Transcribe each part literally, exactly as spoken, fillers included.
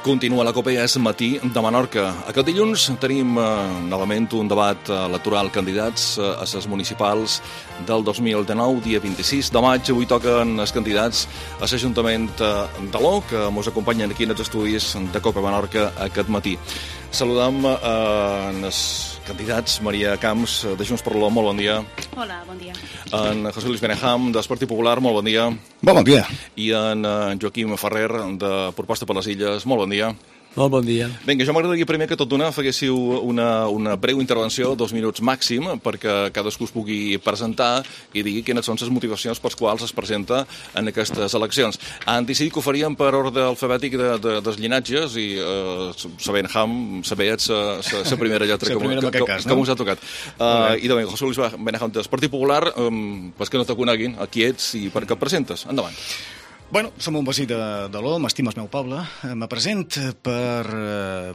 Continua la Copa És Matí de Menorca. Aquest dilluns tenim eh, novament un debat electoral candidats eh, a les municipals del dos mil dinou, dia vint-i-sis de maig. Avui toquen els candidats a l'Ajuntament de l'O, que ens acompanyen aquí en els estudis de Copa Menorca aquest matí. Saludem eh, els candidats. Maria Camps, de Junts per l'O, molt bon dia. Hola, bon dia. En José Luis Benejam, del Partit Popular, molt bon dia. Bon, bon dia. I en Joaquim Ferrer, de Proposta per les Illes, molt bon dia. Molt bon dia. Vinga, jo m'agradaria primer que tot d'una faguéssiu una, una breu intervenció, dos minuts màxim, perquè cadascú es pugui presentar i digui quines són les motivacions per les quals es presenta en aquestes eleccions. Han decidit que ho faríem per ordre alfabètic de, de, dels llinatges i eh, sabent Ham, saber la primera lletra que, primera que, que, cas, que no? us ha tocat. Uh, I de ben, José Luis Benejam, del Partit Popular, um, pues que no te coneguin, aquí ets i per què et presentes. Endavant. Bueno, som un vecí de, de l'O, m'estima el meu poble. Me present per,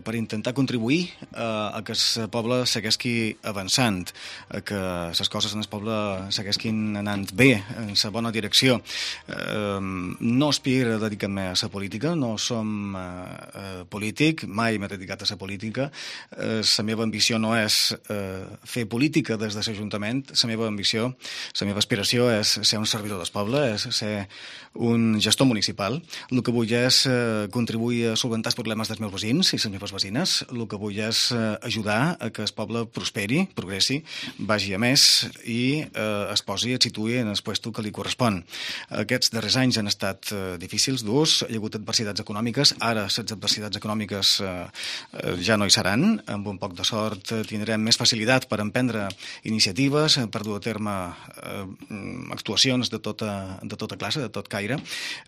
per intentar contribuir a, a que el poble segueixi avançant, a que les coses en el poble segueixin anant bé, en la bona direcció. Eh, no aspiro a dedicar-me a la política, no som eh, polític, mai m'he dedicat a la política. Eh, la meva ambició no és eh, fer política des de l'Ajuntament, la meva ambició, la meva aspiració és ser un servidor del poble, és ser un gestor municipal. El que vull és eh, contribuir a solventar els problemes dels meus veïns i les meves veïnes. El que vull és eh, ajudar a que el poble prosperi, progressi, vagi a més i eh, es posi, es situï en el puesto que li correspon. Aquests darrers anys han estat eh, difícils, durs, hi ha hagut adversitats econòmiques, ara les adversitats econòmiques eh, eh, ja no hi seran, amb un poc de sort eh, tindrem més facilitat per emprendre iniciatives, per dur a terme eh, actuacions de tota, de tota classe, de tot caire,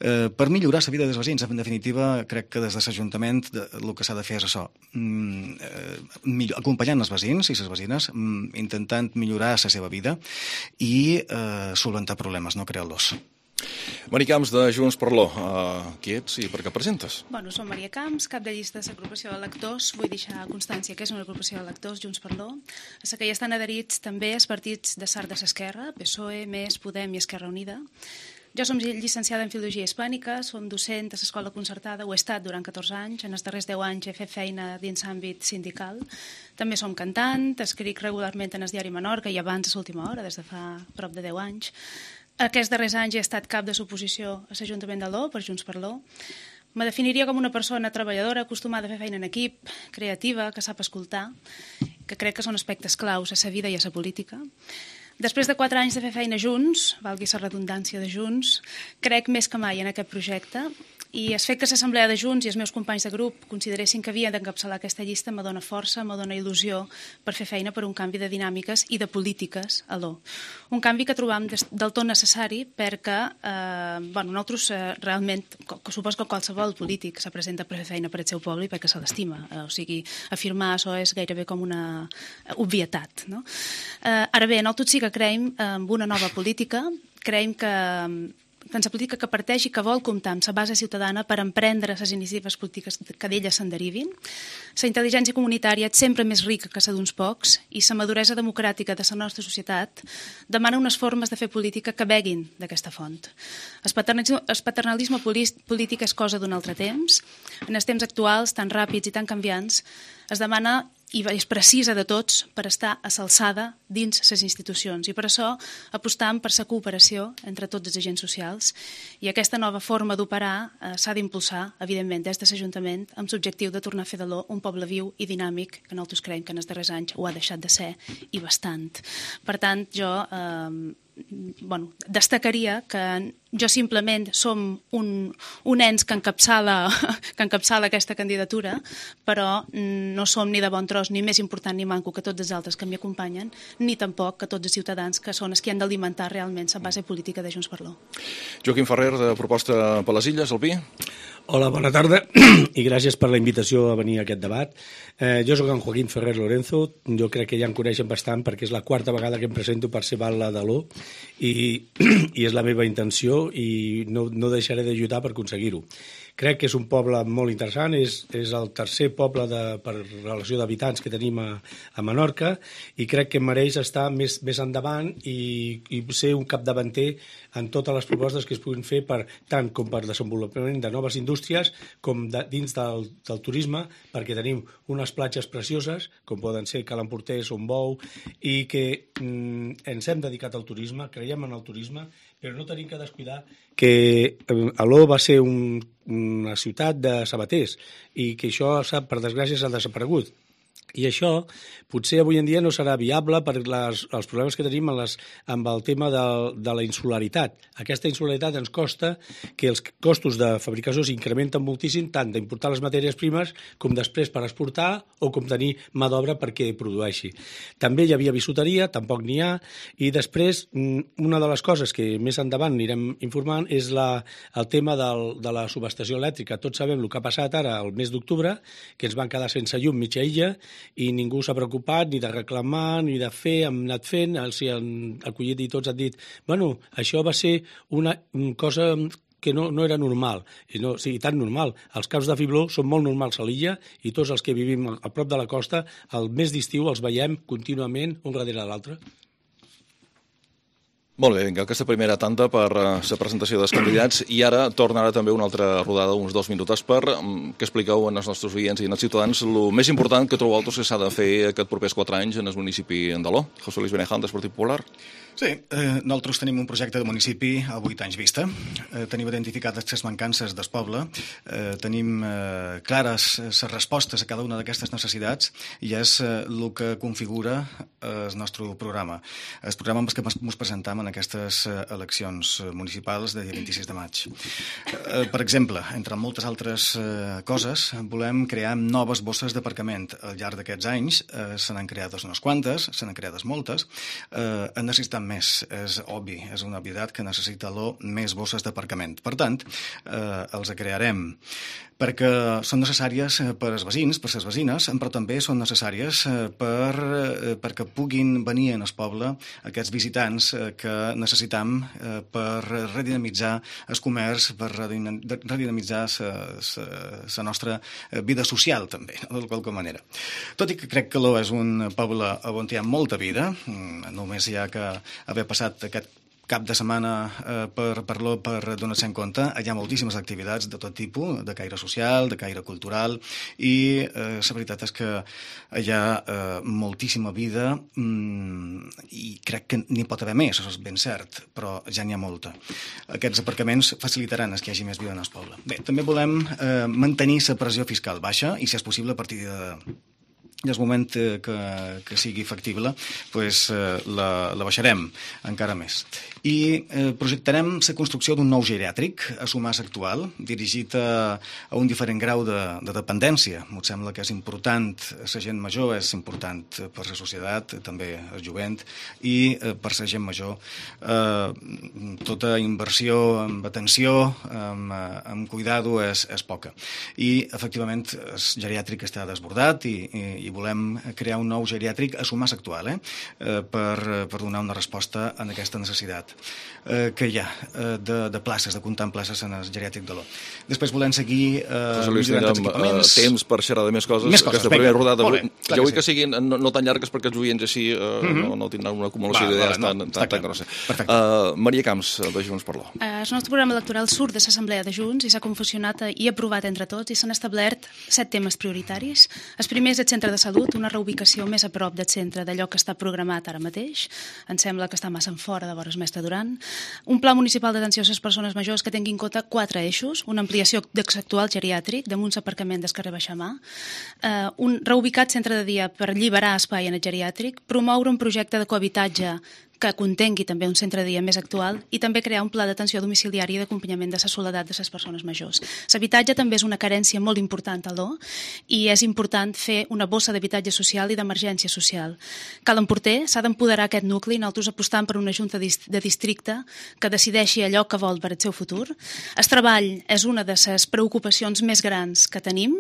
eh, per millorar la vida dels veïns. En definitiva, crec que des de l'Ajuntament el que s'ha de fer és això, mm, eh, millor, acompanyant els veïns i les veïnes, mm, intentant millorar la seva vida i eh, solventar problemes, no crear-los. Maria Camps, de Junts per l'O, uh, qui ets i per què presentes? Bueno, som Maria Camps, cap de llista de l'agrupació d'electors. Vull deixar constància que és una agrupació d'electors, Junts per l'O, a la que hi estan adherits també els partits de Sart de l'Esquerra, P S O E, M E S, Podem i Esquerra Unida. Jo som llicenciada en Filologia Hispànica, som docent a l'escola concertada, ho he estat durant catorze anys, en els darrers deu anys he fet feina dins l'àmbit sindical. També som cantant, escric regularment en el diari Menorca i abans a l'última hora, des de fa prop de deu anys. Aquests darrers anys he estat cap de l'oposició a l'Ajuntament de l'O, per Junts per l'O. Me definiria com una persona treballadora, acostumada a fer feina en equip, creativa, que sap escoltar, que crec que són aspectes claus a la vida i a la política. Després de quatre anys de fer feina junts, valgui la redundància de Junts, crec més que mai en aquest projecte i el fet que l'Assemblea de Junts i els meus companys de grup consideressin que havia d'encapçalar aquesta llista me dona força, me dona il·lusió per fer feina per un canvi de dinàmiques i de polítiques a l'O. Un canvi que trobam del tot necessari perquè eh, bueno, nosaltres eh, realment, que supos que qualsevol polític se presenta per fer feina per al seu poble i perquè se l'estima. Eh, o sigui, afirmar això és gairebé com una obvietat. No? Eh, ara bé, nosaltres sí que creiem en una nova política, creiem que que en la política que parteix i que vol comptar amb la base ciutadana per emprendre les iniciatives polítiques que d'elles se'n derivin. La intel·ligència comunitària és sempre més rica que la d'uns pocs i la maduresa democràtica de la nostra societat demana unes formes de fer política que beguin d'aquesta font. El paternalisme, el paternalisme polític és cosa d'un altre temps. En els temps actuals, tan ràpids i tan canviants, es demana i és precisa de tots per estar a l'alçada dins les institucions i per això apostam per la cooperació entre tots els agents socials i aquesta nova forma d'operar eh, s'ha d'impulsar, evidentment, des de l'Ajuntament amb l'objectiu de tornar a fer de l'O un poble viu i dinàmic que nosaltres creiem que en els darrers anys ho ha deixat de ser i bastant. Per tant, jo eh, bueno, destacaria que jo simplement som un, un ens que encapçala, que encapçala aquesta candidatura, però no som ni de bon tros, ni més important ni manco que tots els altres que m'hi acompanyen, ni tampoc que tots els ciutadans que són els que han d'alimentar realment la base política de Junts per l'O. Joaquim Ferrer, de Proposta per les Illes, el Pi. Hola, bona tarda i gràcies per la invitació a venir a aquest debat. Eh, jo soc en Joaquim Ferrer Lorenzo, jo crec que ja em coneixen bastant perquè és la quarta vegada que em presento per ser batlle de l'O i, i és la meva intenció i no, no deixaré d'ajudar per aconseguir-ho. Crec que és un poble molt interessant, és, és el tercer poble de, per relació d'habitants que tenim a, a Menorca, i crec que mereix estar més, més endavant i, i ser un capdavanter en totes les propostes que es puguin fer per, tant com per desenvolupament de noves indústries com de, dins del, del turisme, perquè tenim unes platges precioses, com poden ser Cala Emportès, Ombou, i que mm, ens hem dedicat al turisme, creiem en el turisme, però no tenim que descuidar que Aló va ser un, una ciutat de sabaters i que això, per desgràcia, s'ha desaparegut. I això potser avui en dia no serà viable per les, els problemes que tenim amb, les, amb el tema de, de la insularitat. Aquesta insularitat ens costa que els costos de fabricació s'incrementen moltíssim, tant d'importar les matèries primes com després per exportar o com tenir mà d'obra perquè produeixi. També hi havia bisuteria, tampoc n'hi ha, i després una de les coses que més endavant anirem informant és la, el tema del, de la subestació elèctrica. Tots sabem el que ha passat ara el mes d'octubre, que ens van quedar sense llum mitja illa, i ningú s'ha preocupat ni de reclamar ni de fer, hem anat fent, els han acollit i tots han dit, bueno, això va ser una cosa que no, no era normal, i no, sí, tan normal. Els caus de fibló són molt normals a l'illa i tots els que vivim a prop de la costa, el mes d'estiu els veiem contínuament un darrere l'altre. Molt bé, vinga, aquesta primera tanda per la presentació dels candidats i ara tornarà també una altra rodada, uns dos minuts per que expliqueu als nostres oients i als ciutadans el més important que trobeu vosaltres que s'ha de fer aquests propers quatre anys en el municipi d'Aló. José Luis Beneján, del Partit Popular. Sí, eh, nosaltres tenim un projecte de municipi a vuit anys vista. Eh, tenim identificades les mancances del poble, eh, tenim eh, clares les respostes a cada una d'aquestes necessitats i és eh, el que configura eh, el nostre programa. El programa amb el que ens presentam en aquestes eleccions municipals de dia vint-i-sis de maig. Eh, per exemple, entre moltes altres eh, coses, volem crear noves bosses d'aparcament. Al llarg d'aquests anys eh, se n'han creades unes quantes, se n'han creades moltes, eh, en necessitem més, és obvi, és una obvietat que necessita l'O més bosses d'aparcament. Per tant, eh, els crearem perquè són necessàries per als veïns, per les veïnes, però també són necessàries per, perquè puguin venir en el poble aquests visitants que necessitam per redinamitzar el comerç, per redinamitzar la nostra vida social, també, de qualque manera. Tot i que crec que l'O és un poble on hi ha molta vida, només hi ha que haver passat aquest cap de setmana eh, per, per, per donar-se en compte. Hi ha moltíssimes activitats de tot tipus, de caire social, de caire cultural, i eh, la veritat és que hi ha eh, moltíssima vida mm, i crec que n'hi pot haver més, això és ben cert, però ja n'hi ha molta. Aquests aparcaments facilitaran que hi hagi més vida en el poble. Bé, també volem eh, mantenir la pressió fiscal baixa i, si és possible, a partir de i el moment que, que sigui factible pues, eh, la, la baixarem encara més. I eh, projectarem la construcció d'un nou geriàtric a Somàs actual, dirigit a, a un diferent grau de, de dependència. Em sembla que és important, la gent major és important per la societat, també el jovent, i eh, per la gent major eh, tota inversió en atenció, en, en cuidado és, és poca. I, efectivament, el geriàtric està desbordat i, i, i volem crear un nou geriàtric a Somàs actual, eh? Eh, per, per donar una resposta a aquesta necessitat eh, que hi ha eh, de, de places, de comptar amb places en el geriàtric de l'O. Després volem seguir eh, millorant els equipaments. Uh, temps per xerrar de més coses. Més coses, aquesta primera rodada. Bé, jo vull que, que siguin no, no tan llargues perquè els oients així uh, mm-hmm. no, no tindran una acumulació va, d'idees va, tan, no, tan, tan grossa. Uh, Maria Camps, de Junts per l'O. Uh, el nostre programa electoral surt de l'Assemblea de Junts i s'ha confusionat i aprovat entre tots i s'han establert set temes prioritaris. El primer és el centre de salut, una reubicació més a prop del centre d'allò que està programat ara mateix. Em sembla que està massa en fora de vores Mestre Duran. Un pla municipal d'atenció a les persones majors que tingui en compte quatre eixos, una ampliació de l'actual geriàtric, damunt l'aparcament del carrer Baixamà, eh, un reubicat centre de dia per alliberar espai en el geriàtric, promoure un projecte de cohabitatge que contengui també un centre de dia més actual i també crear un pla d'atenció domiciliària i d'acompanyament de la soledat de les persones majors. L'habitatge també és una carència molt important a l'O i és important fer una bossa d'habitatge social i d'emergència social. Cala Emportès s'ha d'empoderar aquest nucli i nosaltres apostant per una junta de districte que decideixi allò que vol per al seu futur. El treball és una de les preocupacions més grans que tenim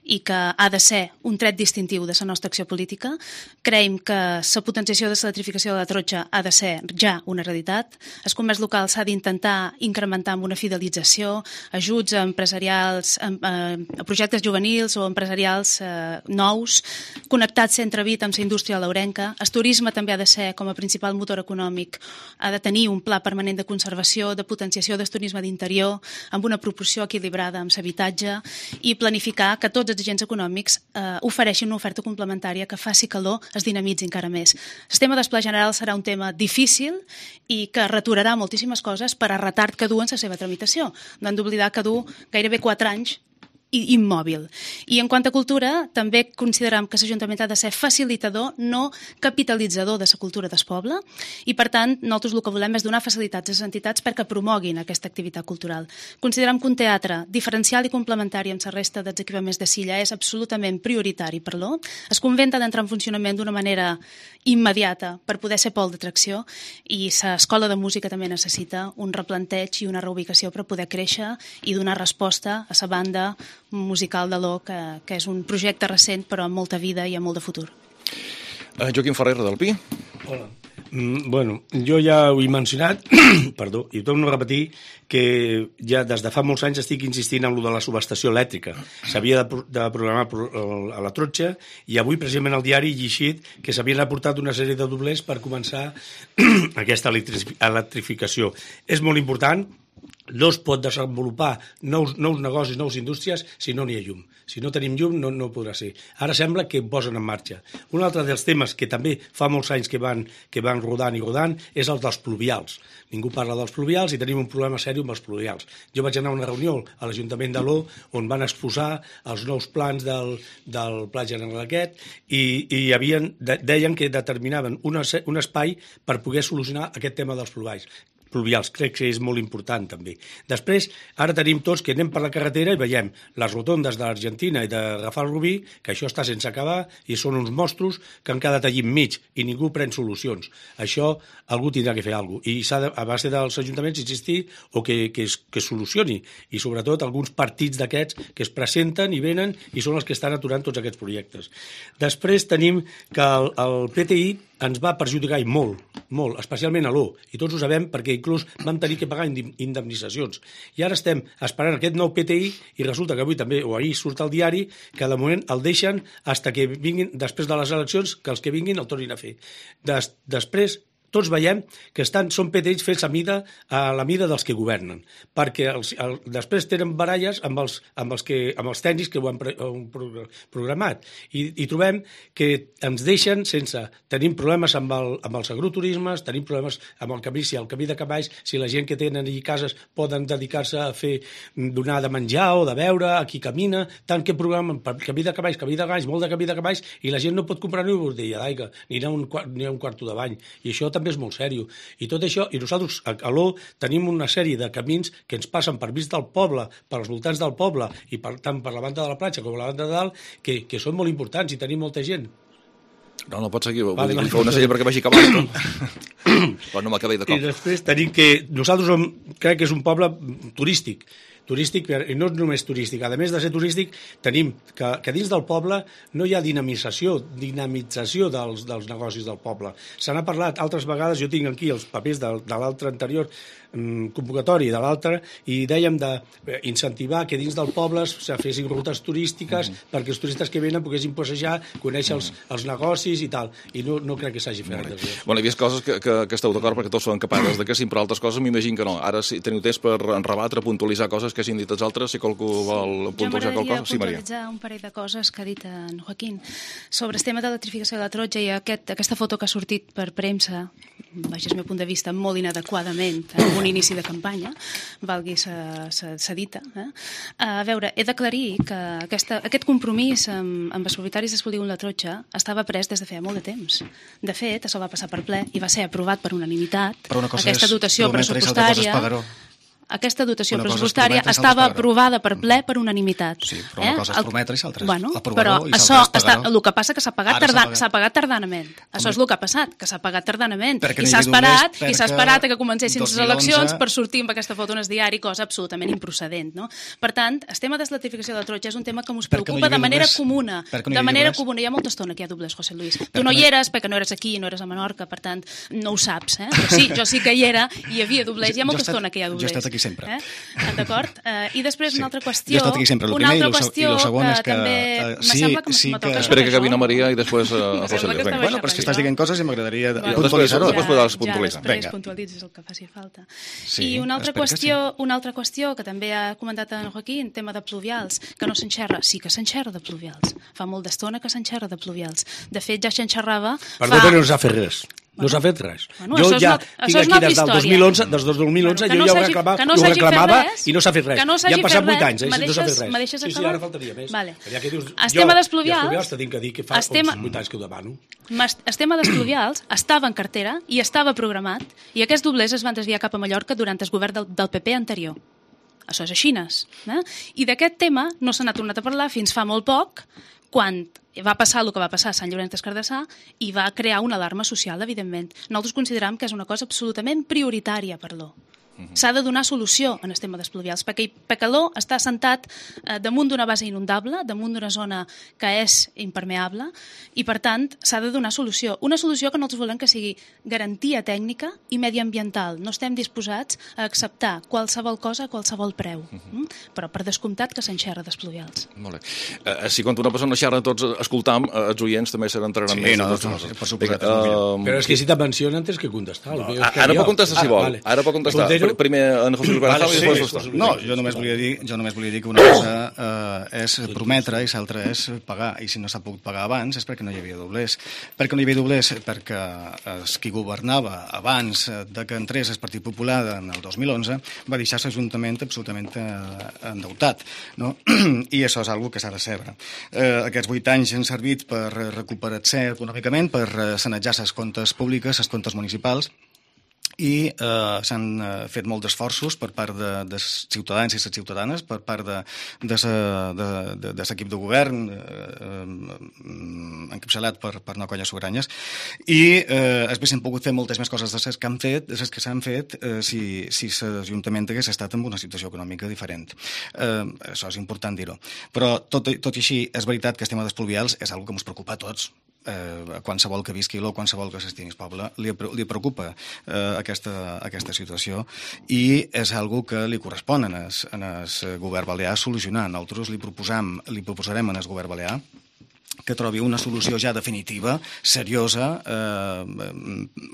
i que ha de ser un tret distintiu de la nostra acció política. Creiem que la potenciació de l'electrificació de la Trotxa ha de ser ja una realitat. El comerç local s'ha d'intentar incrementar amb una fidelització, ajuts a empresarials, a, a projectes juvenils o empresarials eh, nous, connectats centre-Vit amb la indústria laurenca. El turisme també ha de ser, com a principal motor econòmic, ha de tenir un pla permanent de conservació, de potenciació del turisme d'interior, amb una proporció equilibrada amb l'habitatge, i planificar que tots els agents econòmics eh, ofereixin una oferta complementària que faci calor, es dinamitzi encara més. El tema del Pla General serà un tema difícil i que returarà moltíssimes coses per a retard que du en la seva tramitació. No hem d'oblidar que du gairebé quatre anys immòbil. I en quant a cultura, també considerem que l'Ajuntament ha de ser facilitador, no capitalitzador de la cultura del poble, i per tant nosaltres el que volem és donar facilitats a les entitats perquè promoguin aquesta activitat cultural. Considerem que un teatre diferencial i complementari amb la resta dels equipaments de Silla és absolutament prioritari per l'O. El convent ha d'entrar en funcionament d'una manera immediata per poder ser pol d'atracció, i l'escola de música també necessita un replanteig i una reubicació per poder créixer i donar resposta a la banda musical de l'O, que, que és un projecte recent però amb molta vida i amb molt de futur. Uh, Joaquim Ferrer, del Pi. Hola. Mm, bueno, jo ja ho he mencionat, perdó, i torno a repetir que ja des de fa molts anys estic insistint en lo de la subestació elèctrica. S'havia de, de programar a la Trotxa, i avui precisament al diari he llegit que s'havien aportat una sèrie de doblers per començar aquesta electrificació. És molt important. No es pot desenvolupar nous, nous negocis, nous indústries, si no n'hi ha llum. Si no tenim llum, no, no podrà ser. Ara sembla que ho posen en marxa. Un altre dels temes que també fa molts anys que van, que van rodant i rodant és el dels pluvials. Ningú parla dels pluvials i tenim un problema sèrio amb els pluvials. Jo vaig anar a una reunió a l'Ajuntament de l'O on van exposar els nous plans del, del Pla General aquest, i, i havien, de, deien que determinaven una, un espai per poder solucionar aquest tema dels pluvials. pluvials. Crec que és molt important també. Després, ara tenim tots que anem per la carretera i veiem les rotondes de l'Argentina i de Rafal Rubí, que això està sense acabar i són uns mostros que han quedat allí enmig i ningú pren solucions. Això algú tindrà que fer alguna cosa. I s'ha de, a base dels ajuntaments, insistir o que, que, es, que es solucioni. I sobretot alguns partits d'aquests que es presenten i venen i són els que estan aturant tots aquests projectes. Després tenim que el, el P T I ens va perjudicar i molt, molt, especialment a l'O, i tots ho sabem perquè inclús vam tenir que pagar indemnitzacions. I ara estem esperant aquest nou P T I i resulta que avui també, o ahir surt al diari, que de moment el deixen fins que vinguin, després de les eleccions, que els que vinguin el tornin a fer. Des, després, tots veiem que estan, són P T Is fets a, mida, a la mida dels que governen, perquè els, el, després tenen baralles amb els, amb els, que, amb els tècnics que ho han, pre, han programat. I, I trobem que ens deixen sense... Tenim problemes amb, el, amb els agroturismes, tenim problemes amb el camí, si el camí de cavalls, si la gent que tenen allí cases poden dedicar-se a fer, donar de menjar o de beure a qui camina, tant que programen per camí de cavalls, camí de galls, molt de camí de cavalls, i la gent no pot comprar ni una botella d'aigua, ni anar un, ni a un quarto de bany. I això també és molt sèrio. I tot això, i nosaltres a l'O tenim una sèrie de camins que ens passen per vist del poble, pels voltants del poble, i per, tant per la banda de la platja com la banda de dalt, que, que són molt importants i tenim molta gent. No, no pot seguir, vale, vull vale, dir, una sèrie perquè vagi acabant. Però no m'acabé de cop. I després tenim que nosaltres som, crec que és un poble turístic, turístic, i no només turístic, a més de ser turístic, tenim que, que dins del poble no hi ha dinamització, dinamització dels, dels negocis del poble. Se n'ha parlat altres vegades, jo tinc aquí els papers de, de l'altre anterior um, convocatori de l'altre, i dèiem d'incentivar que dins del poble se fessin rutes turístiques mm-hmm. perquè els turistes que venen poguessin passejar, conèixer els, els negocis i tal, i no, no crec que s'hagi fet. Bueno, hi havia coses que, que, que esteu d'acord perquè tots són capaços de que sí, però altres coses m'imagino que no. Ara si teniu temps per rebatre, puntualitzar coses que hagin dit els altres, si qualcú vol puntualitzar qualcosa. Jo m'agradaria puntualitzar un parell de coses que ha dit en Joaquín sobre el tema de l'electrificació de la Trotxa i aquest, aquesta foto que ha sortit per premsa, baix el meu punt de vista, molt inadequadament en un inici de campanya, valgui sa dita. Eh? A veure, he d'aclarir que aquesta, aquest compromís amb, amb els propietaris del polígon La Trotxa estava pres des de feia molt de temps. De fet, això va passar per ple i va ser aprovat per unanimitat. Però una cosa aquesta és dotació pressupostària. aquesta dotació pressupostària estava aprovada per ple per unanimitat. Sí, però una cosa és prometre i l'altra bueno, és aprovar-ho i això l'altra és pagar-ho. El que passa que s'ha pagat, tarda, pagat. pagat tardanament. Com això és el que ha passat, que s'ha pagat tardanament. I s'ha esperat, i s'ha esperat que comencessin les eleccions per sortir amb aquesta foto en el diari, cosa absolutament improcedent. No? Per tant, el tema de l'estratificació de la Totxa és un tema que ens preocupa de manera comuna. De manera comuna. Hi ha molta estona que hi ha doblers, José Luis. Tu no hi eres perquè no eres aquí, no eres a Menorca, per tant, no ho saps. Eh? Però sí, jo sí que hi era i hi havia doblers. Hi ha molta estona que hi ha doblers. Jo he estat aquí sempre. D'acord? I després una altra qüestió... Jo he estat aquí sempre. El primer i el segon és que... Sí, que... Espera que acabi na Maria i després a José Luis. Bueno, però és que estàs dient coses i m'agradaria puntualitzar-ho. Després podràs puntualitzar. Ja, després puntualitzis el que faci falta. I una altra qüestió una altra qüestió que també ha comentat en Joaquín, tema de pluvials, que no s'enxerra. Sí que s'enxerra de pluvials. Fa molt d'estona que s'enxerra de pluvials. De fet, ja s'enxerrava... Perdó, però no s'ha fet res. No s'ha fet res. Bueno, jo ja no, tinc aquí des del dos mil onze, des del dos mil onze bueno, jo no ja ho, reclamava, no ho reclamava i no s'ha fet res. No ja han passat vuit anys, eh, deixes, no s'ha fet res. Me sí, sí, ara faltaria més. Vale. Ja que dius, el jo, tema dels pluvials... I els pluvials t'he de dir que fa tema, vuit anys que ho demano. El tema dels pluvials estava en cartera i estava programat i aquests doblers es van desviar cap a Mallorca durant el govern del, del P P anterior. Això és així. Eh? I d'aquest tema no se n'ha tornat a parlar fins fa molt poc, quan va passar el que va passar a Sant Llorenç des Cardassar i va crear una alarma social, evidentment. Nosaltres considerem que és una cosa absolutament prioritària per l'O. S'ha de donar solució en el tema dels pluvials, perquè l'O està assentat eh, damunt d'una base inundable, damunt d'una zona que és impermeable, i per tant s'ha de donar solució. Una solució que nosaltres volem que sigui garantia tècnica i mediambiental. No estem disposats a acceptar qualsevol cosa a qualsevol preu, uh -huh. mm? però per descomptat que s'enxerra dels pluvials. Molt bé. Eh, si quan una persona xerra tots escoltam, eh, els oients també se n'entrenaran sí, més. No, no, no, per suposat. Uh, però és que si te mencionen tens que contestar. No, ara pot contestar si vol. Vale. Ara pot contestar. Primer en José Luis Barajal i després vostè. No, jo només volia dir, jo només volia dir que una cosa eh, és prometre i l'altra és pagar. I si no s'ha pogut pagar abans és perquè no hi havia doblers. Per què no hi havia doblers? Perquè els qui governava abans de que entrés el Partit Popular en el dos mil onze va deixar l'Ajuntament absolutament eh, endeutat. No? I això és una que s'ha de saber. Eh, aquests vuit anys han servit per recuperar-se econòmicament, per sanejar les comptes públiques, les comptes municipals, i eh, s'han eh, fet molts esforços per part de, de ciutadans i les ciutadanes, per part de, de, de, de, de l'equip de govern eh, eh, encapçalat per, per no colles sobranyes, i eh, s'haguessin pogut fer moltes més coses de les que han fet, de les que s'han fet eh, si, si l'Ajuntament hagués estat en una situació econòmica diferent. Eh, això és important dir-ho. Però tot, tot i així és veritat que el tema dels pluvials és una que ens preocupa a tots. Eh, qualsevol que visqui l'O, qualsevol que s'estimi el poble, li, li preocupa eh, aquesta, aquesta situació i és algo que li correspon en el, en el govern balear solucionar. Nosaltres li proposam, li proposarem en el govern balear que trobi una solució ja definitiva, seriosa, eh,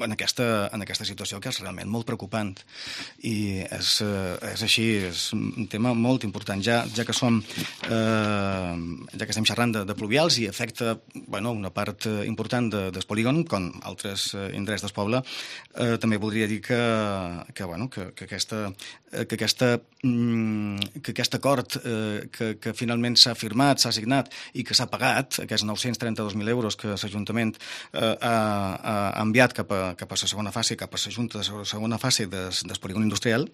en, aquesta, en aquesta situació que és realment molt preocupant. I és, és així, és un tema molt important. Ja, ja que som, eh, ja que estem xerrant de, de pluvials i afecta bueno, una part important de, del polígon, com altres indrets del poble, eh, també voldria dir que, que, bueno, que, que, aquesta, que, aquesta, que aquest acord eh, que, que finalment s'ha firmat, s'ha signat i que s'ha pagat, aquests nou-cents trenta-dos mil euros que l'Ajuntament eh, ha, ha enviat cap a, cap a la segona fase, cap a la Junta de la segona fase del, del polígon industrial,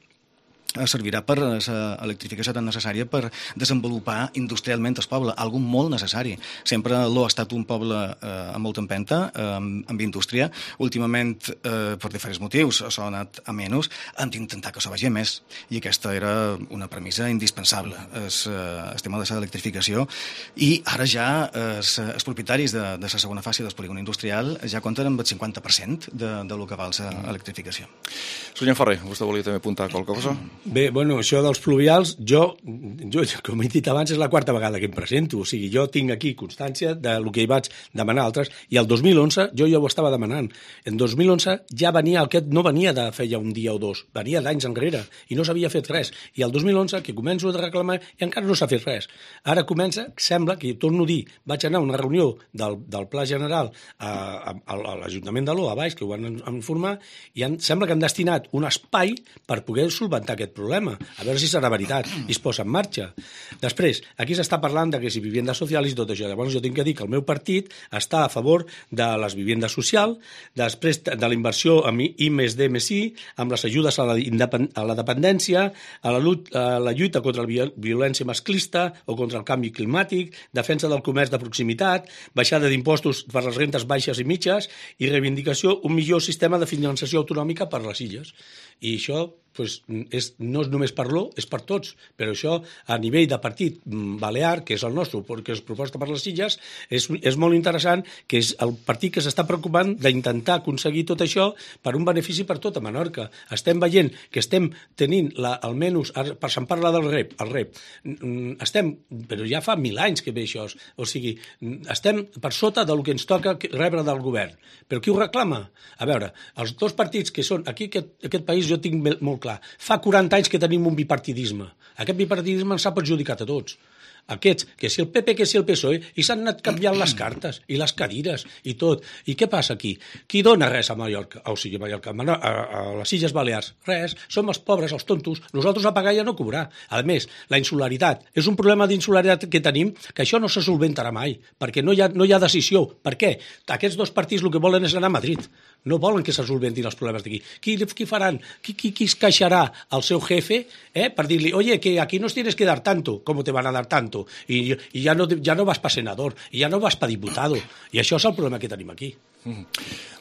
servirà per l'electrificació tan necessària per desenvolupar industrialment el poble, algo molt necessari. Sempre l'O ha estat un poble eh, amb molta empenta, eh, amb, amb indústria. Últimament, eh, per diferents motius, això ha anat a menys. Hem d'intentar que això vagi a més. I aquesta era una premissa indispensable, el, el tema de l'electrificació. I ara ja els, els propietaris de, de la segona fase del polígon industrial ja compten amb el cinquanta per cent de, de lo que val l'electrificació. Senyor Ferrer, vostè volia també apuntar qualque cosa? Bé, bueno, això dels pluvials, jo, jo, com he dit abans, és la quarta vegada que em presento. O sigui, jo tinc aquí constància del que hi vaig demanar a altres, i el dos mil onze jo ja ho estava demanant. En dos mil onze ja venia, aquest no venia de feia un dia o dos, venia d'anys enrere, i no s'havia fet res. I el dos mil onze, que començo a reclamar, i encara no s'ha fet res. Ara comença, sembla, que torno a dir, vaig anar a una reunió del, del Pla General a, a, a l'Ajuntament de l'O, a baix, que ho van informar, i han, sembla que han destinat un espai per poder solventar aquest aquest problema, a veure si serà veritat i es posa en marxa. Després, aquí s'està parlant de que si vivienda social i tot això. Llavors jo tinc que dir que el meu partit està a favor de les viviendes socials, després de la inversió en I més D més I, amb les ajudes a la, a la dependència, a la, a la lluita contra la violència masclista o contra el canvi climàtic, defensa del comerç de proximitat, baixada d'impostos per les rentes baixes i mitges i reivindicació un millor sistema de finançació autonòmica per les illes. I això pues, és, no és només per l'O, és per tots, però això a nivell de partit balear, que és el nostre, que és proposta per les illes, és, és molt interessant que és el partit que s'està preocupant d'intentar aconseguir tot això per un benefici per tota Menorca. Estem veient que estem tenint, la, almenys, per se'n parla del R E P, el R E P, estem, però ja fa mil anys que ve això, o sigui, estem per sota del que ens toca rebre del govern. Però qui ho reclama? A veure, els dos partits que són, aquí aquest, aquest país jo tinc molt clar, fa quaranta anys que tenim un bipartidisme. Aquest bipartidisme ens ha perjudicat a tots. Aquests, que si el P P, que si el P S O E, i s'han anat canviant les cartes i les cadires i tot. I què passa aquí? Qui dona res a Mallorca? O sigui, a Mallorca, a, a les Illes Balears? Res. Som els pobres, els tontos. Nosaltres a pagar i a no cobrar. A més, la insularitat. És un problema d'insularitat que tenim que això no se solventarà mai, perquè no hi ha, no hi ha decisió. Per què? Aquests dos partits el que volen és anar a Madrid. No volen que se solventin els problemes d'aquí. Qui, qui faran? Qui, qui, qui es queixarà al seu jefe eh, per dir-li, oye, que aquí nos tienes que dar tanto, com te van a dar tanto, i, i ja, no, ja no vas per senador, i ja no vas per diputado. I això és el problema que tenim aquí. Mm.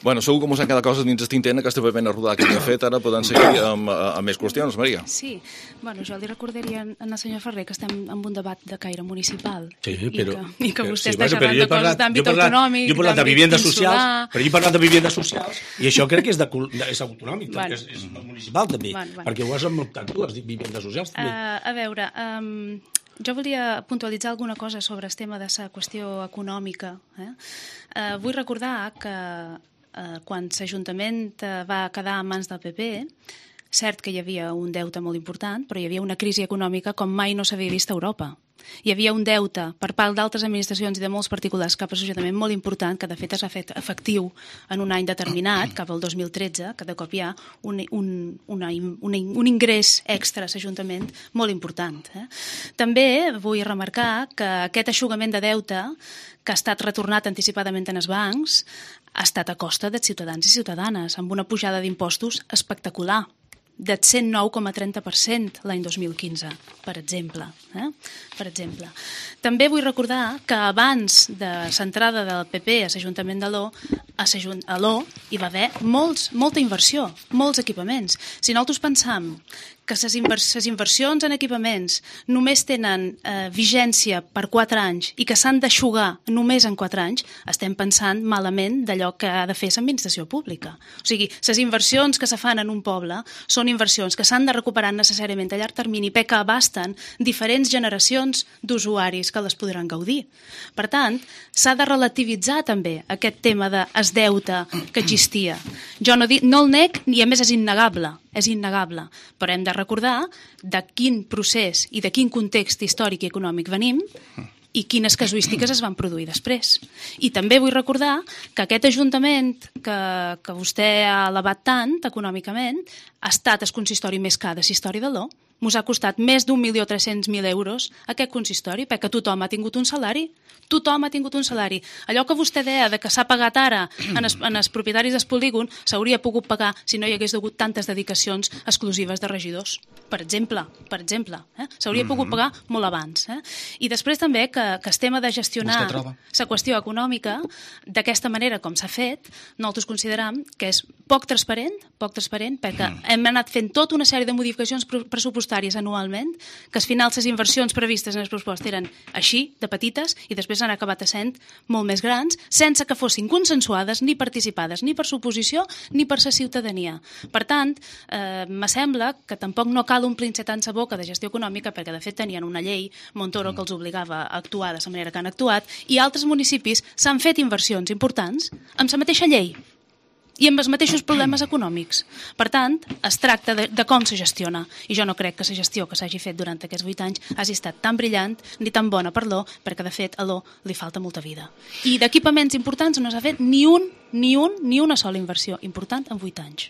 Bueno, segur que mos han quedat coses dins el tintent, aquesta ben rodada que hem fet, ara podem seguir amb, amb més qüestions, Maria. Sí, bueno, jo li recordaria al senyor Ferrer que estem en un debat de caire municipal sí, però, i, que, i que vostè sí, està bueno, xerrant de coses d'àmbit autonòmic, jo he parlat de viviendes socials, però jo he parlat de viviendes socials i això crec que és, de, és autonòmic, bueno. és, és municipal també, bueno, bueno. perquè ho has muntat tu, les viviendes socials també. Uh, a veure, um, jo volia puntualitzar alguna cosa sobre el tema de la qüestió econòmica. Eh? Uh, vull recordar que uh, quan l'Ajuntament uh, va quedar en mans del P P, cert que hi havia un deute molt important, però hi havia una crisi econòmica com mai no s'havia vist a Europa. Hi havia un deute per part d'altres administracions i de molts particulars cap a l'Ajuntament molt important, que de fet s'ha fet efectiu en un any determinat, cap al dos mil tretze, que de cop hi ha un, un, una, una, un ingrés extra a l'Ajuntament molt important. Eh? També vull remarcar que aquest eixugament de deute que ha estat retornat anticipadament en els bancs ha estat a costa dels ciutadans i ciutadanes, amb una pujada d'impostos espectacular, del cent nou coma trenta per cent l'any dos mil quinze, per exemple. Eh? Per exemple. També vull recordar que abans de l'entrada del P P a l'Ajuntament de l'O, a l'O hi va haver molts, molta inversió, molts equipaments. Si nosaltres pensam que les invers inversions en equipaments només tenen eh, vigència per quatre anys i que s'han d'eixugar només en quatre anys, estem pensant malament d'allò que ha de fer l'administració pública. O sigui, les inversions que se fan en un poble són inversions que s'han de recuperar necessàriament a llarg termini perquè abasten diferents generacions d'usuaris que les podran gaudir. Per tant, s'ha de relativitzar també aquest tema del deute que existia. Jo no, dic, no el nec, i a més és innegable, és innegable, però hem de recordar de quin procés i de quin context històric i econòmic venim i quines casuístiques es van produir després. I també vull recordar que aquest Ajuntament que, que vostè ha elevat tant econòmicament ha estat el consistori més car de la història de l'O. Mos ha costat més d'un milió tres-cents mil euros aquest consistori, perquè tothom ha tingut un salari. Tothom ha tingut un salari. Allò que vostè deia de que s'ha pagat ara en els, en els propietaris del polígon s'hauria pogut pagar si no hi hagués hagut tantes dedicacions exclusives de regidors. Per exemple, per exemple. Eh? S'hauria mm-hmm. pogut pagar molt abans. Eh? I després també que, que el tema de gestionar la qüestió econòmica d'aquesta manera com s'ha fet, nosaltres consideram que és poc transparent, poc transparent perquè mm. hem anat fent tota una sèrie de modificacions pressupostàries anualment, que al final les inversions previstes en el pressupost eren així, de petites, i després han acabat essent molt més grans, sense que fossin consensuades ni participades ni per l'oposició ni per la ciutadania. Per tant, eh, me sembla que tampoc no cal omplir-se tant la boca de gestió econòmica, perquè de fet tenien una llei Montoro que els obligava a actuar de la manera que han actuat, i altres municipis s'han fet inversions importants amb la mateixa llei i amb els mateixos problemes econòmics. Per tant, es tracta de, de com se gestiona. I jo no crec que la gestió que s'hagi fet durant aquests vuit anys hagi estat tan brillant ni tan bona per l'O, perquè de fet a l'O li falta molta vida. I d'equipaments importants no s'ha fet ni un, ni un, ni una sola inversió important en vuit anys.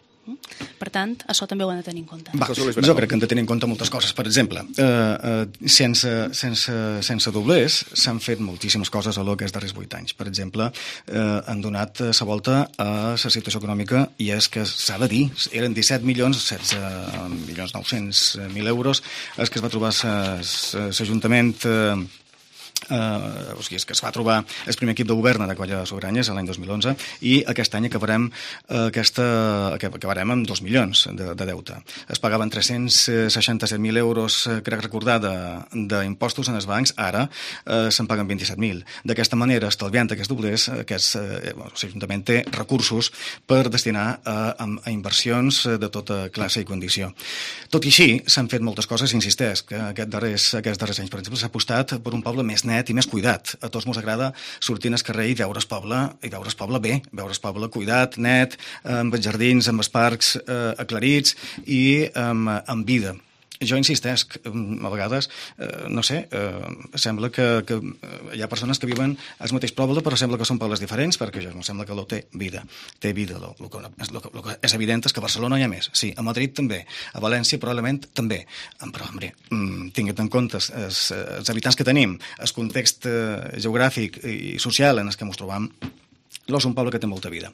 Per tant, això també ho han de tenir en compte. Va, jo crec que hem de tenir en compte moltes coses. Per exemple, eh, eh, sense, sense, sense doblers s'han fet moltíssimes coses a lo que és darrers vuit anys. Per exemple, eh, han donat la volta a la situació econòmica i és que s'ha de dir, eren disset milions, setze milions nou-cents mil euros, els que es va trobar l'Ajuntament eh, Uh, o sigui, és que es va trobar el primer equip de govern de Colla Sobiranyes l'any dos mil onze i aquest any acabarem uh, aquesta, acabarem amb dos milions de, de deute. Es pagaven tres-cents seixanta-set mil euros, crec recordar, d'impostos en els bancs, ara uh, se'n paguen vint-i-set mil. D'aquesta manera, estalviant aquests doblers, aquest, uh, l'Ajuntament té recursos per destinar a, a inversions de tota classe i condició. Tot i així, s'han fet moltes coses, insisteix, que aquest darrers, aquests darrers anys, per exemple, s'ha apostat per un poble més net i més cuidat. A tots mos agrada sortir al carrer i veure el poble, i veure el poble bé, veure el poble cuidat, net, amb els jardins, amb els parcs eh, aclarits i amb, amb vida. Jo insistesc, a vegades, eh, no sé, eh, sembla que, que hi ha persones que viven al mateix poble, però sembla que són pobles diferents, perquè jo sembla que lo té vida. Té vida. Lo, lo, lo, lo que és evident és que a Barcelona hi ha més. Sí, a Madrid també. A València probablement també. Però, home, tinguet en compte els, els habitants que tenim, el context eh, geogràfic i social en el que ens trobam, l'O és un poble que té molta vida.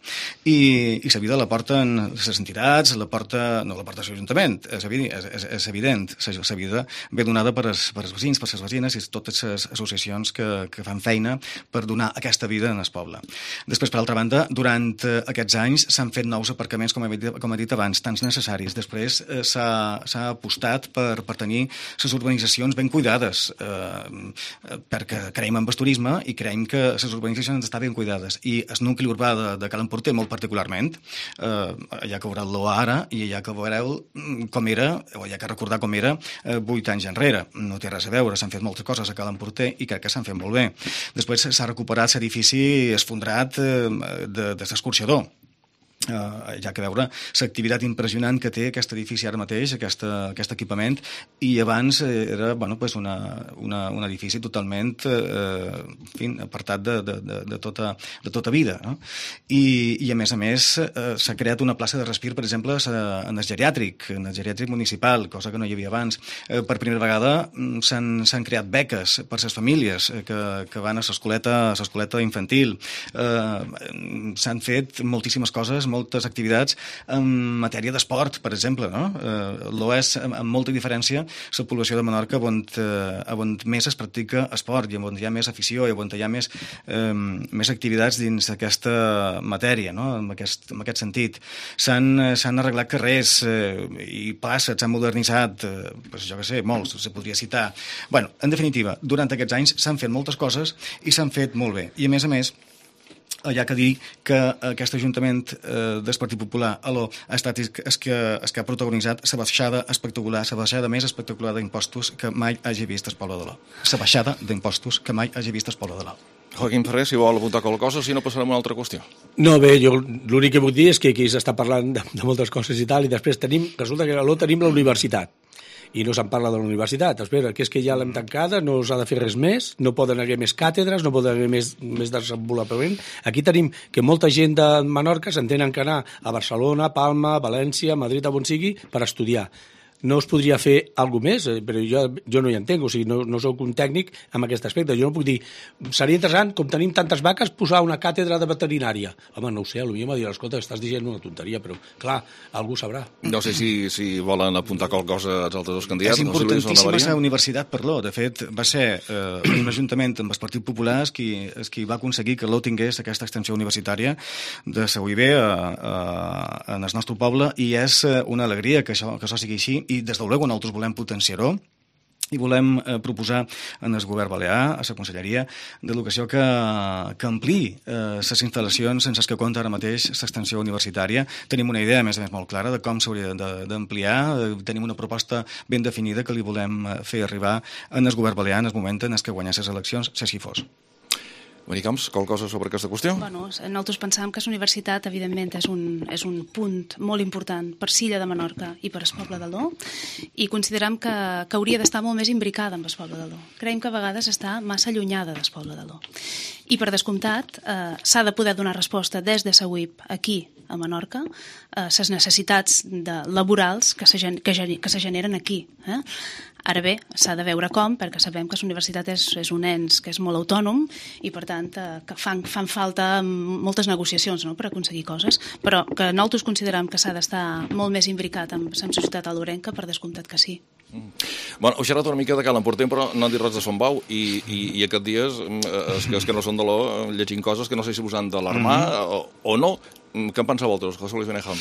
I, i la vida la porten les entitats, la porta, no la porta l'Ajuntament, és, és, és, és evident. La vida ve donada per els, per els veïns, per les veïnes i totes les associacions que, que fan feina per donar aquesta vida en el poble. Després, per altra banda, durant aquests anys s'han fet nous aparcaments, com he dit, com he dit abans, tants necessaris. Després eh, s'ha apostat per, per tenir les urbanitzacions ben cuidades, eh, perquè creiem en el turisme i creiem que les urbanitzacions estan ben cuidades. I el nucli urbà de, de Cal Emporter, molt particularment, eh, allà que veureu-lo ara i allà que veureu com era, o allà que recordar com era eh, vuit anys enrere. No té res a veure, s'han fet moltes coses a Cal Emporter i crec que s'han fet molt bé. Després s'ha recuperat l'edifici esfondrat eh, de, de l'escorxador. Uh, hi ha que veure l'activitat impressionant que té aquest edifici ara mateix, aquesta, aquest equipament, i abans era bueno, pues una, una, un edifici totalment eh, en fi, apartat de, de, de, de, tota, de tota vida, no? I, i a més a més eh, s'ha creat una plaça de respir, per exemple, en el geriàtric, en el geriàtric municipal, cosa que no hi havia abans. Eh, per primera vegada s'han creat beques per les famílies que, que van a l'escoleta infantil. Eh, s'han fet moltíssimes coses, moltes activitats en matèria d'esport, per exemple, no? Eh, l'O és, amb molta diferència, la població de Menorca on, eh, on més es practica esport i on hi ha més afició i on hi ha més, eh, més activitats dins d'aquesta matèria, no? En aquest, en aquest sentit. S'han arreglat carrers eh, i places, s'han modernitzat, eh, pues, jo què sé, molts, se podria citar. Bueno, en definitiva, durant aquests anys s'han fet moltes coses i s'han fet molt bé. I a més a més, hi ha que dir que aquest Ajuntament eh, del Partit Popular alò, ha estat el que, el que ha protagonitzat la baixada espectacular, la baixada més espectacular d'impostos que mai hagi vist el poble de l'O. La baixada d'impostos que mai hagi vist el poble de l'O. Joaquim Ferrer, si vol apuntar qualque cosa, si no passarem a una altra qüestió. No, bé, jo l'únic que vull dir és que aquí s'està parlant de, de moltes coses i tal, i després tenim, resulta que a l'O tenim la universitat. I no se'n parla de la universitat. Espera, que és que ja l'hem tancada, no s'ha de fer res més, no poden haver més càtedres, no poden haver més, més desenvolupament. Aquí tenim que molta gent de Menorca s'entenen que anar a Barcelona, Palma, València, Madrid, a on sigui, per estudiar. No es podria fer alguna més, però jo, jo no hi entenc, o sigui, no, no soc un tècnic en aquest aspecte. Jo no puc dir, seria interessant, com tenim tantes vaques, posar una càtedra de veterinària. Home, no ho sé, potser m'ha dit, escolta, estàs dient una tonteria, però, clar, algú sabrà. No sé si, si volen apuntar qualque cosa als altres dos candidats. És importantíssima la universitat per l'O. De fet, va ser eh, un ajuntament amb el Partit Popular qui, qui va aconseguir que l'O tingués aquesta extensió universitària de la U I B a, a, en el nostre poble, i és una alegria que això, que això sigui així, i des de luego nosaltres volem potenciar-ho i volem eh, proposar en el govern balear, a la Conselleria d'Educació, que, que ampliï les eh, instal·lacions sense que compta ara mateix l'extensió universitària. Tenim una idea, a més a més, molt clara de com s'hauria d'ampliar. Eh, tenim una proposta ben definida que li volem fer arribar en el govern balear en el moment en què guanyar les eleccions, si així fos. Maria Camps, qualque cosa sobre aquesta qüestió? Bueno, nosaltres pensàvem que la universitat, evidentment, és un, és un punt molt important per Silla de Menorca i per el poble de l'O, i considerem que, que hauria d'estar molt més imbricada amb el poble de l'O. Creiem que a vegades està massa allunyada del poble de l'O. I, per descomptat, eh, s'ha de poder donar resposta des de la U I P aquí, a Menorca, a les necessitats de, laborals que se, que, que se generen aquí. Eh? Ara bé, s'ha de veure com, perquè sabem que la universitat és, és un ens que és molt autònom i, per tant, eh, que fan, fan falta moltes negociacions, no?, per aconseguir coses, però que nosaltres considerem que s'ha d'estar molt més imbricat amb la societat alorenca, per descomptat que sí. Mm. Bueno, heu xerrat una mica de Cal Emportem, però no han dit res de Son Bau, i, i, i aquests dies, els que, els que no són de l'O, llegint coses que no sé si us han d'alarmar mm -hmm. o, o no. Què en penseu vosaltres, José Luis Benejam?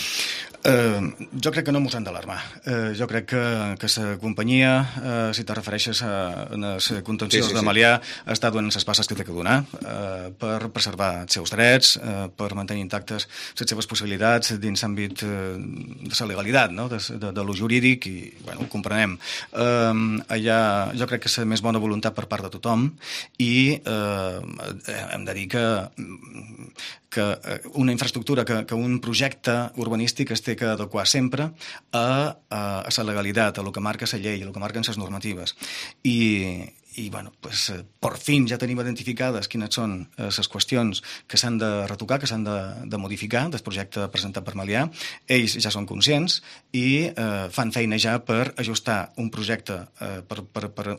Uh, jo crec que no mos han d'alarmar. Uh, jo crec que, que la companyia, uh, si te refereixes a, a les contencions sí, sí, sí. de Malià, està donant les passes que té que donar uh, per preservar els seus drets, uh, per mantenir intactes les seves possibilitats dins l'àmbit uh, de la legalitat, no? de, de, de lo jurídic, i bueno, ho comprenem. Uh, allà jo crec que és la més bona voluntat per part de tothom, i uh, hem de dir que que una infraestructura, que, que un projecte urbanístic es té que adequar sempre a, a, a la legalitat, a el que marca la llei, a el que marquen les normatives. I, i bueno, pues, eh, per fin ja tenim identificades quines són les eh, qüestions que s'han de retocar, que s'han de, de modificar del projecte presentat per Malià. Ells ja són conscients i eh, fan feina ja per ajustar un projecte, eh, per, per, per,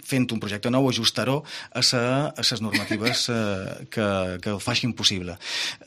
fent un projecte nou, ajustar-ho a les normatives eh, que, que el facin possible.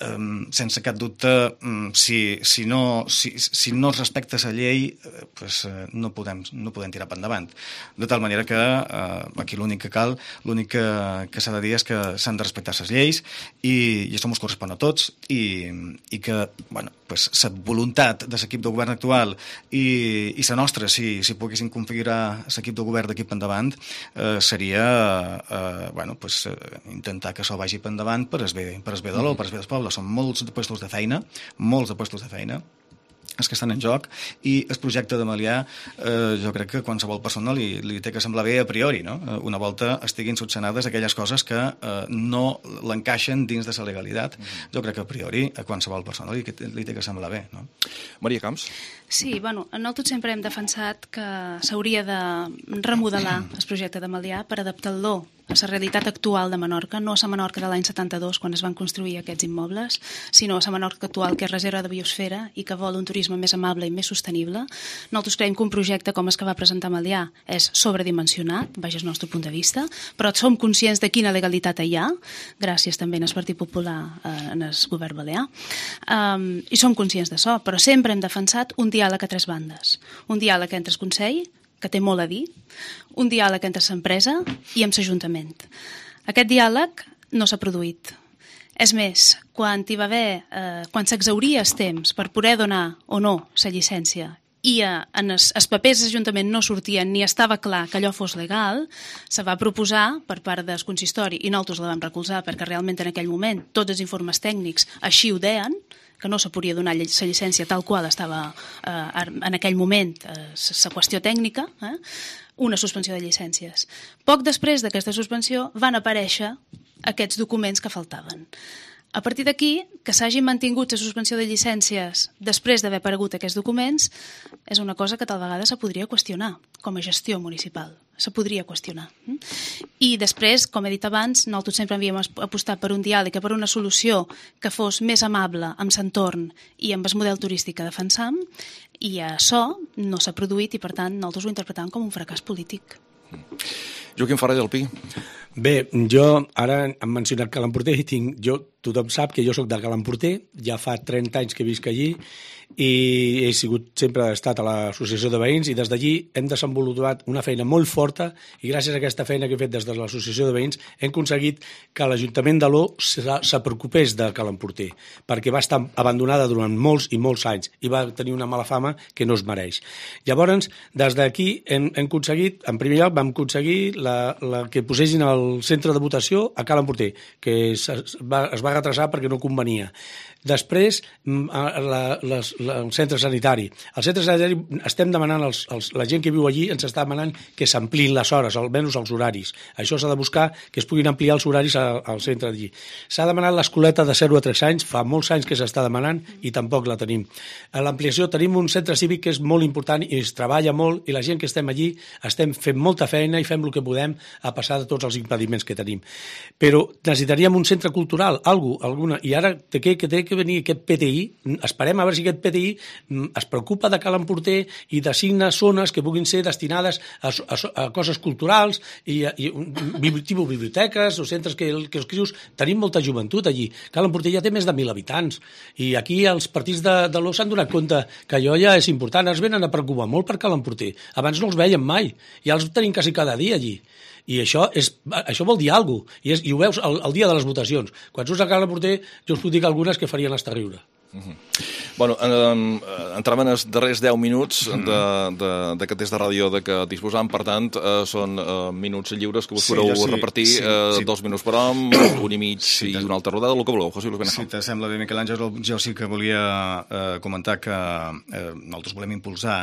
Um, sense cap dubte, um, si, si, no, si, si no es respecta la llei, eh, pues, eh, no, podem, no podem tirar per endavant. De tal manera que eh, aquí l'únic que cal, l'únic que, que s'ha de dir és que s'han de respectar les lleis, i, i això ens correspon a tots, i, i que bueno, pues, la voluntat de l'equip de govern actual i, i la nostra, si, si poguéssim configurar l'equip de govern d'aquí per endavant, eh, seria eh, bueno, pues, eh, intentar que això vagi per endavant per es bé, per es bé de l'O, per es bé del poble. Són molts de puestos de feina, molts de puestos de feina els que estan en joc, i el projecte de Malià eh, jo crec que qualsevol persona li, li té que semblar bé a priori, no? Una volta estiguin subsanades aquelles coses que eh, no l'encaixen dins de la legalitat. Mm-hmm. Jo crec que a priori a qualsevol persona li, li té que semblar bé, no? Maria Camps? Sí, bueno, nosaltres sempre hem defensat que s'hauria de remodelar el projecte de Malià per adaptar-lo a la realitat actual de Menorca, no a la Menorca de l'any setanta-dos, quan es van construir aquests immobles, sinó a la Menorca actual, que és reserva de biosfera i que vol un turisme més amable i més sostenible. Nosaltres creiem que un projecte com el que va presentar Malià és sobredimensionat, baix el nostre punt de vista, però som conscients de quina legalitat hi ha, gràcies també al Partit Popular eh, en el govern balear, um, i som conscients d'això, però sempre hem defensat un diàleg a tres bandes. Un diàleg entre el Consell, que té molt a dir, un diàleg entre l'empresa i amb l'Ajuntament. Aquest diàleg no s'ha produït. És més, quan hi va haver, eh, quan s'exhauria el temps per poder donar o no la llicència i eh, en els, els papers de l'Ajuntament no sortien ni estava clar que allò fos legal, se va proposar per part del consistori, i nosaltres la vam recolzar perquè realment en aquell moment tots els informes tècnics així ho deien, que no se podia donar la llicència tal qual estava eh, en aquell moment la eh, qüestió tècnica, eh, una suspensió de llicències. Poc després d'aquesta suspensió van aparèixer aquests documents que faltaven. A partir d'aquí, que s'hagin mantingut la suspensió de llicències després d'haver aparegut aquests documents és una cosa que tal vegada se podria qüestionar com a gestió municipal. Se podria qüestionar. I després, com he dit abans, nosaltres sempre havíem apostat per un diàleg i per una solució que fos més amable amb l'entorn i amb el model turístic que defensam, i això no s'ha produït i, per tant, nosaltres ho interpretàvem com un fracàs polític. Joaquim Ferrer del Pi. Bé, jo ara hem mencionat Cal Emporter i tinc, jo, tothom sap que jo sóc de Cal Emporter, ja fa trenta anys que visc allí i he sigut sempre estat a l'associació de veïns, i des d'allí hem desenvolupat una feina molt forta, i gràcies a aquesta feina que he fet des de l'associació de veïns hem aconseguit que l'Ajuntament de l'O se, se preocupés de Cal Emporter, perquè va estar abandonada durant molts i molts anys i va tenir una mala fama que no es mereix. Llavors, des d'aquí hem, hem aconseguit, en primer lloc vam aconseguir la, la que posessin el centre de votació a Cal Emporter, que es, es, va, es va retrasar perquè no convenia. Després, la, les, la, el centre sanitari. Al centre sanitari estem demanant, els, els, la gent que viu allí ens està demanant que s'ampliïn les hores, almenys els horaris. Això s'ha de buscar que es puguin ampliar els horaris al, al centre d'allí. S'ha demanat l'escoleta de zero a tres anys, fa molts anys que s'està demanant i tampoc la tenim. A l'ampliació tenim un centre cívic que és molt important i es treballa molt i la gent que estem allí estem fent molta feina i fem el que podem a passar de tots els impediments que tenim. Però necessitaríem un centre cultural, algú, alguna, i ara té que, que té que venir aquest P T I, esperem a veure si aquest P T I es preocupa de Cal Emporter i designa zones que puguin ser destinades a, a, a coses culturals i, i tipus biblioteques o centres que, que els crios... Tenim molta joventut allí. Cal Emporter ja té més de mil habitants i aquí els partits de, de l'O s'han donat compte que allò ja és important. Ens venen a preocupar molt per Cal Emporter. Abans no els veiem mai. Ja els tenim quasi cada dia allí. I això, és, això vol dir alguna cosa. I, és, i ho veus el, el dia de les votacions. Quan surts a Cal Emporter, jo us puc dir que algunes que farien estar a riure. Uh-huh. Bueno, eh, entrem en els darrers deu minuts d'aquest test de ràdio de què disposam, per tant, eh, són eh, minuts lliures que vos sí, podeu sí, repartir, sí, eh, sí. dos minuts per hom, un i mig sí, i una altra rodada, el que voleu, José Luis Benejo. Si t'assembla bé, Miquel Àngel, jo sí que volia eh, comentar que eh, nosaltres volem impulsar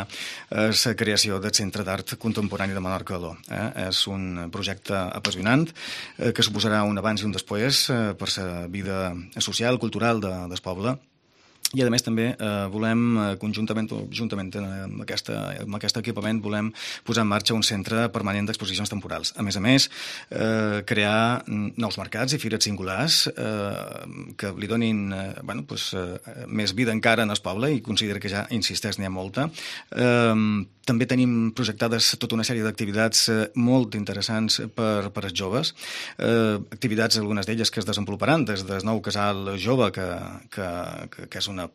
eh, la creació del Centre d'Art Contemporani de Menorca-Aló. Eh? És un projecte apassionant eh, que suposarà un abans i un després eh, per la vida social, cultural de, del poble. I, a més, també eh, volem, eh, conjuntament juntament amb, aquesta, amb aquest equipament, volem posar en marxa un centre permanent d'exposicions temporals. A més a més, eh, crear nous mercats i fires singulars eh, que li donin eh, bueno, pues, eh, més vida encara en el poble, i considero que ja, insisteix, n'hi ha molta. Eh, també tenim projectades tota una sèrie d'activitats eh, molt interessants per, per als joves, eh, activitats, algunes d'elles, que es desenvoluparan des del nou casal jove, que, que, que, que és una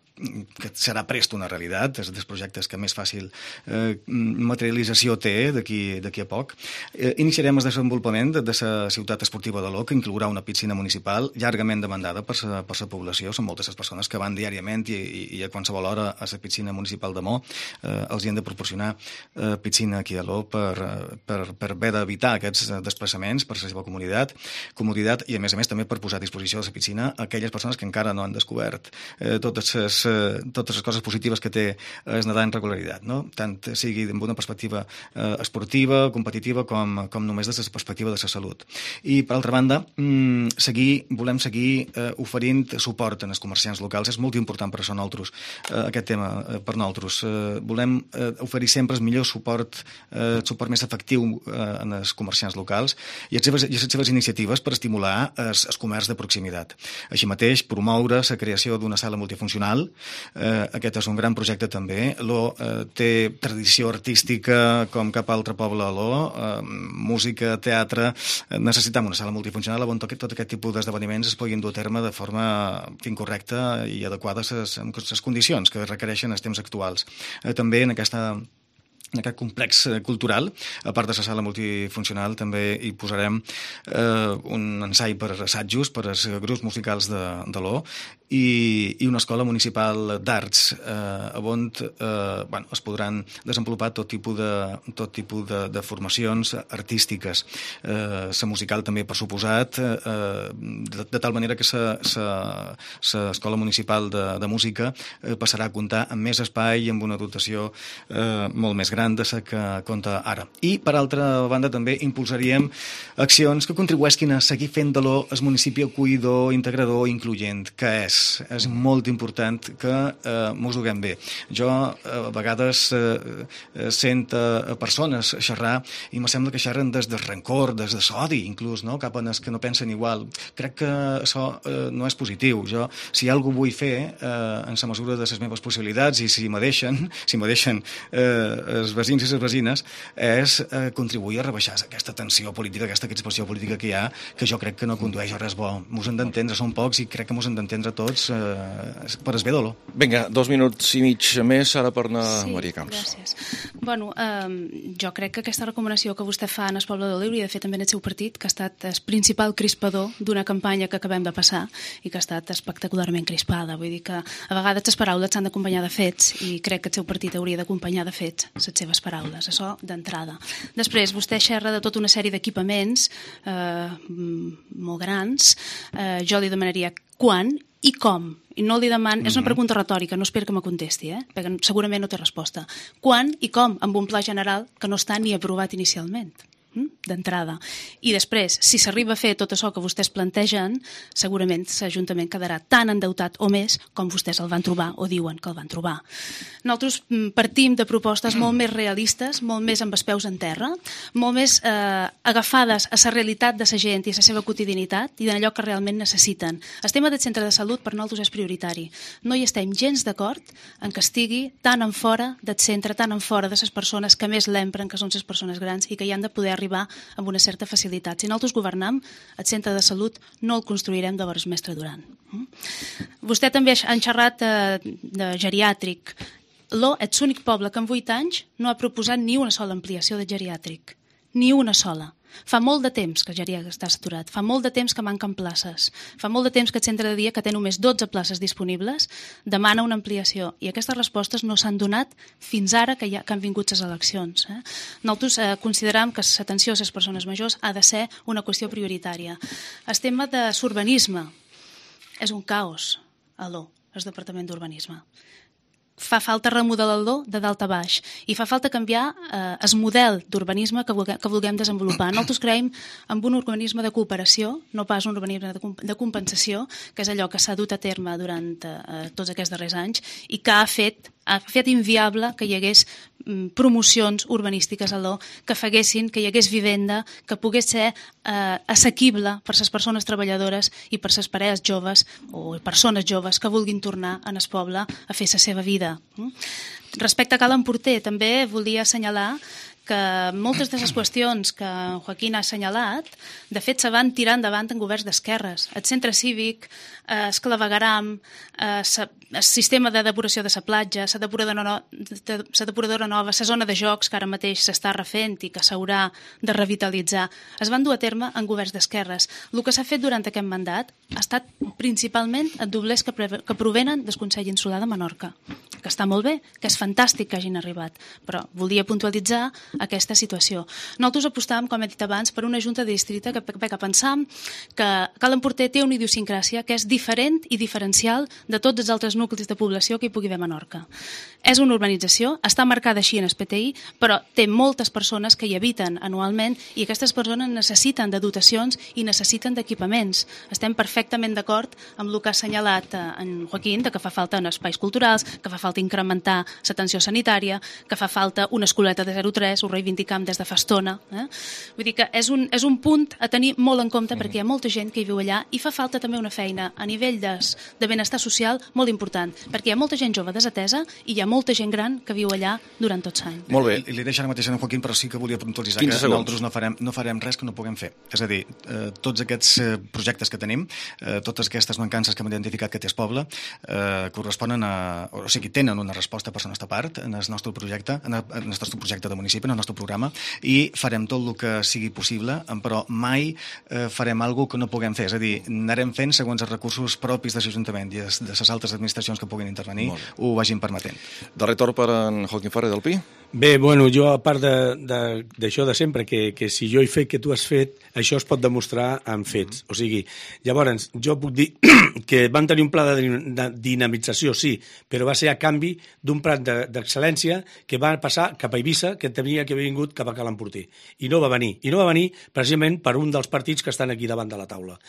que serà prest una realitat, és dels projectes que més fàcil eh, materialització té d'aquí d'aquí a poc. Eh, iniciarem el desenvolupament de, de la ciutat esportiva de l'O, que inclourà una piscina municipal llargament demandada per la per la població. Són moltes les persones que van diàriament i, i, i a qualsevol hora a la piscina municipal de Mo. Eh, els hi han de proporcionar eh, piscina aquí a l'O per, per, per haver d'evitar aquests desplaçaments per la seva comoditat, comoditat i, a més a més, també per posar a disposició de la piscina a aquelles persones que encara no han descobert eh, totes les totes les coses positives que té es nedar en regularitat, no? Tant sigui amb una perspectiva eh, esportiva, competitiva, com, com només des de la perspectiva de la salut. I, per altra banda, mm, seguir, volem seguir eh, oferint suport als comerciants locals. És molt important per això nosaltres, eh, aquest tema eh, per nosaltres. Eh, volem eh, oferir sempre el millor suport, eh, el suport més efectiu eh, als comerciants locals i les seves, i les seves iniciatives per estimular el comerç de proximitat. Així mateix, promoure la creació d'una sala multifuncional. Eh, aquest és un gran projecte també. L'O eh, té tradició artística com cap altre poble a l'O, eh, música, teatre. Eh, necessitem una sala multifuncional on tot, tot aquest tipus d'esdeveniments es puguin dur a terme de forma incorrecta i adequada a les condicions que requereixen els temps actuals. Eh, també en aquesta en aquest complex cultural, a part de la sala multifuncional, també hi posarem eh, un ensai per assajos, per als grups musicals de, de l'O, i, i una escola municipal d'arts, eh, on eh, bueno, es podran desenvolupar tot tipus de, tot tipus de, de formacions artístiques. Eh, la musical també, per suposat, eh, de, de tal manera que l'escola municipal de, de música eh, passarà a comptar amb més espai i amb una dotació eh, molt més gran de la que compta ara. I, per altra banda, també impulsaríem accions que contribueixin a seguir fent de l'O el municipi acollidor, integrador i incloent, que és. És molt important que eh, mos ho haguem bé. Jo, eh, a vegades, eh, sent a persones xerrar i me sembla que xerren des del rancor, des de l'odi, inclús, no? Cap a els que no pensen igual. Crec que això eh, no és positiu. Jo, si alguna cosa vull fer, eh, en la mesura de les meves possibilitats, i si me deixen, si me deixen eh, els veïns i les veïnes, és eh, contribuir a rebaixar aquesta tensió política, aquesta crispació política que hi ha, que jo crec que no condueix a res bo. Mos hem d'entendre, som pocs, i crec que mos hem d'entendre tots eh, per es bé de l'O. Vinga, dos minuts i mig més, ara per anar sí, Maria Camps. Gràcies. Bueno, eh, jo crec que aquesta recomanació que vostè fa en el poble de l'O hauria de fer també en el seu partit, que ha estat el principal crispador d'una campanya que acabem de passar i que ha estat espectacularment crispada. Vull dir que a vegades les paraules s'han d'acompanyar de fets, i crec que el seu partit hauria d'acompanyar de fets les seves paraules, això d'entrada. Després, vostè xerra de tota una sèrie d'equipaments eh, molt grans. Eh, jo li demanaria quan I com? I no li deman... És una pregunta retòrica, no espero que me contesti, eh? Perquè segurament no té resposta. Quan i com? Amb un pla general que no està ni aprovat inicialment, d'entrada. I després, si s'arriba a fer tot això que vostès plantegen, segurament l'Ajuntament quedarà tan endeutat o més com vostès el van trobar o diuen que el van trobar. Nosaltres partim de propostes molt més realistes, molt més amb els peus en terra, molt més eh, agafades a la realitat de la gent i a la seva quotidianitat i d'allò que realment necessiten. El tema del centre de salut per nosaltres és prioritari. No hi estem gens d'acord en que estigui tan en fora del centre, tan en fora de les persones que més l'empren, que són les persones grans i que hi han de poder arribar amb una certa facilitat. Si nosaltres governam, el centre de salut no el construirem de veres Mestre Duran. Vostè també ha xerrat de, de geriàtric. L'O és l'únic poble que en vuit anys no ha proposat ni una sola ampliació de geriàtric. Ni una sola. Fa molt de temps que el geriàtric està saturat, fa molt de temps que manquen places, fa molt de temps que el centre de dia, que té només dotze places disponibles, demana una ampliació. I aquestes respostes no s'han donat fins ara que, ha, que han vingut les eleccions. Eh? Nosaltres eh, consideram que l'atenció a les persones majors ha de ser una qüestió prioritària. El tema de l'urbanisme és un caos a l'O, el Departament d'Urbanisme. Fa falta remodelar-lo de dalt a baix i fa falta canviar eh, el model d'urbanisme que, vulguem, que vulguem desenvolupar. Nosaltres creiem en un urbanisme de cooperació, no pas un urbanisme de, de compensació, que és allò que s'ha dut a terme durant eh, tots aquests darrers anys i que ha fet, ha fet inviable que hi hagués mm, promocions urbanístiques a l'O, que feguessin, que hi hagués vivenda, que pogués ser eh, assequible per les persones treballadores i per les parelles joves o persones joves que vulguin tornar en el poble a fer la seva vida. Respecte a Cal Emporter, també volia assenyalar que moltes de les qüestions que Joaquín ha assenyalat, de fet, se van tirar endavant en governs d'esquerres. El centre cívic, el clavegaram, el sistema de depuració de la platja, la depuradora, no, la depuradora nova, la zona de jocs que ara mateix s'està refent i que s'haurà de revitalitzar, es van dur a terme en governs d'esquerres. El que s'ha fet durant aquest mandat ha estat principalment els doblers que, que provenen del Consell Insular de Menorca, que està molt bé, que és fantàstic que hagin arribat, però volia puntualitzar aquesta situació. Nosaltres apostàvem, com he dit abans, per una junta de districte que, que pensam que Cal Emporter té una idiosincràsia que és diferent i diferencial de tots els altres nuclis de població que hi pugui haver a Menorca. És una urbanització, està marcada així en el P T I, però té moltes persones que hi habiten anualment i aquestes persones necessiten de dotacions i necessiten d'equipaments. Estem perfectament d'acord amb el que ha assenyalat en Joaquín, de que fa falta en espais culturals, que fa falta incrementar l'atenció sanitària, que fa falta una escoleta de zero tres, ho reivindicam des de fa estona. Eh? Vull dir que és un, és un punt a tenir molt en compte perquè hi ha molta gent que hi viu allà i fa falta també una feina a nivell de, de benestar social molt important, perquè hi ha molta gent jove desatesa i hi ha molta gent gran que viu allà durant tots anys. Molt bé. I li deixo ara mateix a en Joaquín, però sí que volia puntualitzar que nosaltres no farem, no farem res que no puguem fer. És a dir, eh, tots aquests eh, projectes que tenim, eh, totes aquestes mancances que hem identificat que té el poble, eh, corresponen a... o sigui, tenen una resposta per la nostra part en el nostre projecte, en el, en el nostre projecte de municipi, en el nostre programa, i farem tot el que sigui possible, però mai eh, farem alguna que no puguem fer. És a dir, anarem fent segons els recursos propis de l'Ajuntament i de les altres administracions que puguin intervenir ho vagin permetent. Darrer torn per en Joaquín Ferrer del Pi. Bé, bueno, jo a part d'això de, de, de sempre, que, que si jo he fet que tu has fet, això es pot demostrar amb fets. O sigui, llavors, jo puc dir que van tenir un pla de, de dinamització, sí, però va ser a canvi d'un pla d'excel·lència que va passar cap a Eivissa, que tenia que haver vingut cap a Cal Emporter. I no va venir. I no va venir precisament per un dels partits que estan aquí davant de la taula.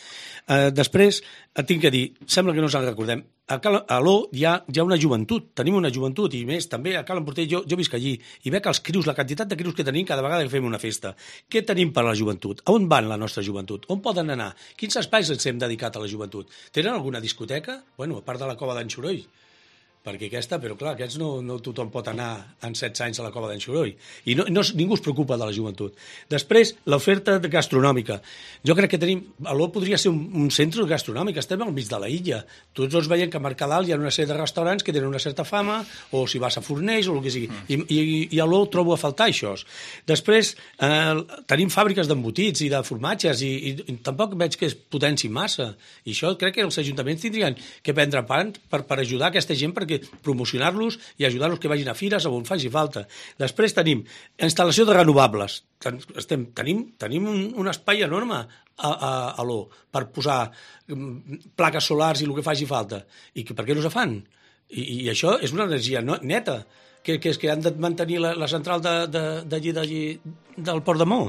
Eh, després, et tinc que dir, sembla que no ens en recordem, a, Cal, a l'O hi ha, hi ha una joventut, tenim una joventut, i més, també a Cal Emporter, jo, jo visc allí, i veig els crius, la quantitat de crius que tenim cada vegada que fem una festa. Què tenim per a la joventut? A on van la nostra joventut? On poden anar? Quins espais ens hem dedicat a la joventut? Tenen alguna discoteca? Bueno, a part de la Cova d'en Xoroll, perquè aquesta, però clar, aquests no, no tothom pot anar en setze anys a la Cova d'en Xoroll. I no, no, ningú es preocupa de la joventut. Després, l'oferta gastronòmica. Jo crec que tenim... A l'O podria ser un, un centre gastronòmic, estem al mig de la illa. Tots els veiem que a Mercadal hi ha una sèrie de restaurants que tenen una certa fama, o si vas a Fornells, o el que sigui. I, i, i a l'O trobo a faltar això. Després, eh, tenim fàbriques d'embotits i de formatges, i, i, i tampoc veig que es potenci massa. I això crec que els ajuntaments tindrien que prendre part per, per ajudar aquesta gent perquè que promocionar-los i ajudar-los que vagin a fires on faci falta. Després tenim instal·lació de renovables. Estem, tenim, tenim un, un espai enorme a, a, a l'O per posar plaques solars i el que faci falta. I que, per què no se fan? I, i això és una energia no, neta, que, que és que han de mantenir la, la central d'allí de, de, de, del Port de Mó.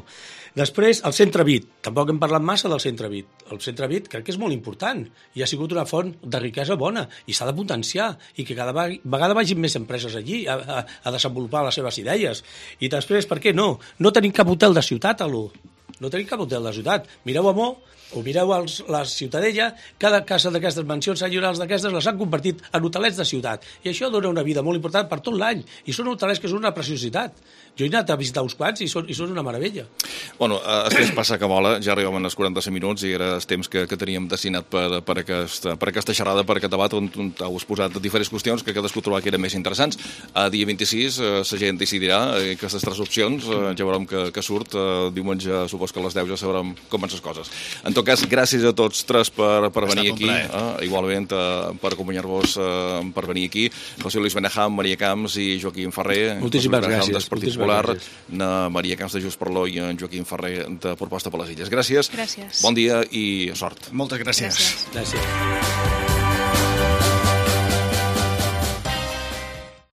Després, el Centre Vit. Tampoc hem parlat massa del Centre Vit. El Centre Vit crec que és molt important i ha sigut una font de riquesa bona i s'ha de potenciar i que cada vegada vagin més empreses allí a, a, a desenvolupar les seves idees. I després, per què no? No tenim cap hotel de ciutat a l'O. No tenim cap hotel de ciutat. Mireu a Mó, o mireu els, la Ciutadella, cada casa d'aquestes mansions senyorials d'aquestes les han convertit en hotelets de ciutat. I això dona una vida molt important per tot l'any. I són hotelets que són una preciositat. Jo he anat a visitar uns quants i són, i són una meravella. Bueno, el temps passa que vola, ja arribem als quaranta-cinc minuts i era el temps que, que teníem destinat per, per, aquesta, per aquesta xerrada, per aquest debat, on, on heu exposat diferents qüestions que cadascú trobava que eren més interessants. A dia vint-i-sis eh, la gent decidirà eh, aquestes tres opcions, eh, ja veurem que, que surt. Eh, diumenge, supos que a les deu ja sabrem com van les coses. En tot cas, gràcies a tots tres per, per venir aquí, eh, igualment eh, per acompanyar-vos, eh, per venir aquí. José Luis Benejam, Maria Camps i Joaquim Ferrer. Moltíssimes gràcies. Popular, na Maria Camps de Junts per l'O i en Joaquim Ferrer de Proposta per les Illes. Gràcies. Gràcies. Bon dia i sort. Moltes gràcies. Gràcies. Gràcies.